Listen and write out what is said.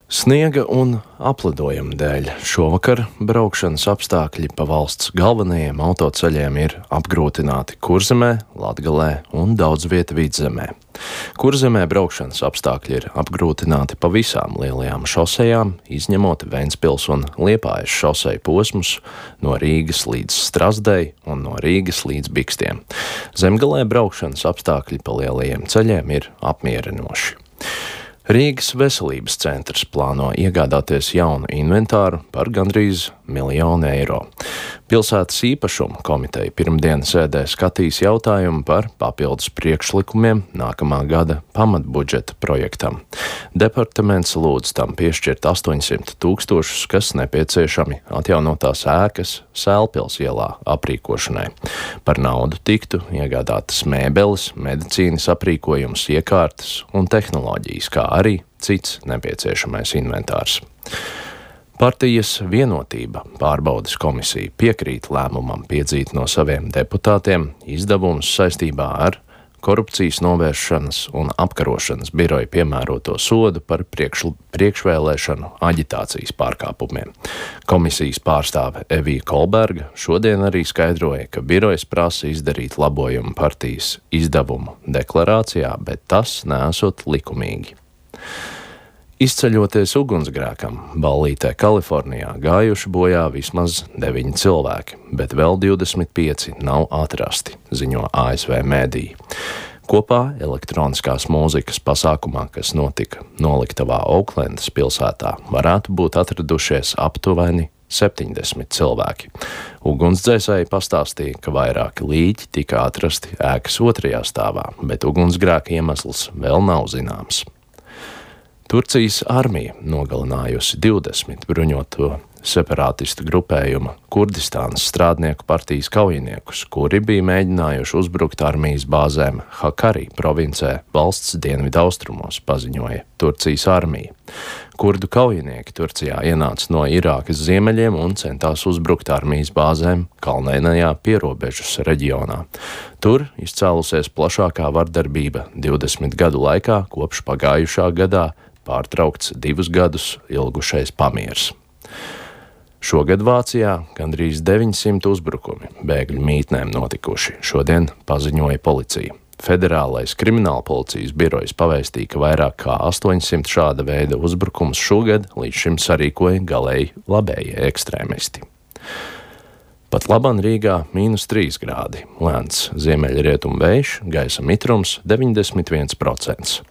Sniega un aplidojuma dēļ šovakar braukšanas apstākļi pa valsts galvenajiem autoceļiem ir apgrūtināti Kurzemē, Latgalē un daudz vieta Vidzemē. Kurzemē braukšanas apstākļi ir apgrūtināti pa visām lielajām šosejām, izņemot Ventspils un Liepājas šoseju posmus no Rīgas līdz Strazdei un no Rīgas līdz Bikstiem. Zemgalē braukšanas apstākļi pa lielajiem ceļiem ir apmierinoši. Rīgas veselības centrs plāno iegādāties jaunu inventāru par gandrīz 1 miljonu eiro. Pilsētas īpašuma komiteja pirmdien sēdē skatīs jautājumu par papildus priekšlikumiem nākamā gada pamatbudžeta projektam. Departaments lūdz tam piešķirt 800 000, kas nepieciešami atjaunotās ēkas Sēlpils ielā aprīkošanai. Par naudu tiktu iegādātas mēbeles, medicīnas aprīkojums, iekārtas un tehnoloģijas, kā arī cits nepieciešamais inventārs. Partijas Vienotība pārbaudes komisija piekrīt lēmumam piedzīt no saviem deputātiem izdevumus saistībā ar korupcijas novēršanas un apkarošanas biroja piemēroto sodu par priekšvēlēšanu aģitācijas pārkāpumiem. Komisijas pārstāve Evija Kolberga šodien arī skaidroja, ka birojas prasa izdarīt labojumu partijas izdevumu deklarācijā, bet tas neesot likumīgi. Izceļoties ugunsgrēkam, Ballītē, Kalifornijā, gājuši bojā vismaz 9 cilvēki, bet vēl 25 nav atrasti, ziņo ASV mēdīji. Kopā elektroniskās mūzikas pasākumā, kas notika noliktavā Ouklendas pilsētā, varētu būt atradušies aptuveni 70 cilvēki. Ugunsdzēsēji pastāstīja, ka vairāki līķi tika atrasti ēkas 2. stāvā, bet ugunsgrēka iemesls vēl nav zināms. Turcijas armija nogalinājusi 20 bruņoto separātistu grupējuma Kurdistānas strādnieku partijas kaujiniekus, kuri bija mēģinājuši uzbrukt armijas bāzēm Hakkari provincē valsts dienvidaustrumos, paziņoja Turcijas armija. Kurdu kaujinieki Turcijā ienāca no Irākas ziemeļiem un centās uzbrukt armijas bāzēm kalnainajā pierobežas reģionā. Tur izcēlusies plašākā vardarbība 20 gadu laikā, kopš pagājušā gadā pārtraukts 2 gadus ilgušais pamiers. Šogad Vācijā gandrīz 900 uzbrukumi bēgļu mītnēm notikuši, šodien paziņoja policija. Federālais kriminālpolicijas birojs pavēstīja, ka vairāk kā 800 šāda veida uzbrukums šogad līdz šim sarīkoja galēji labējie ekstrēmisti. Pat laban Rīgā -3 grādi, lēns ziemeļrietumu vējš, gaisa mitrums 91%.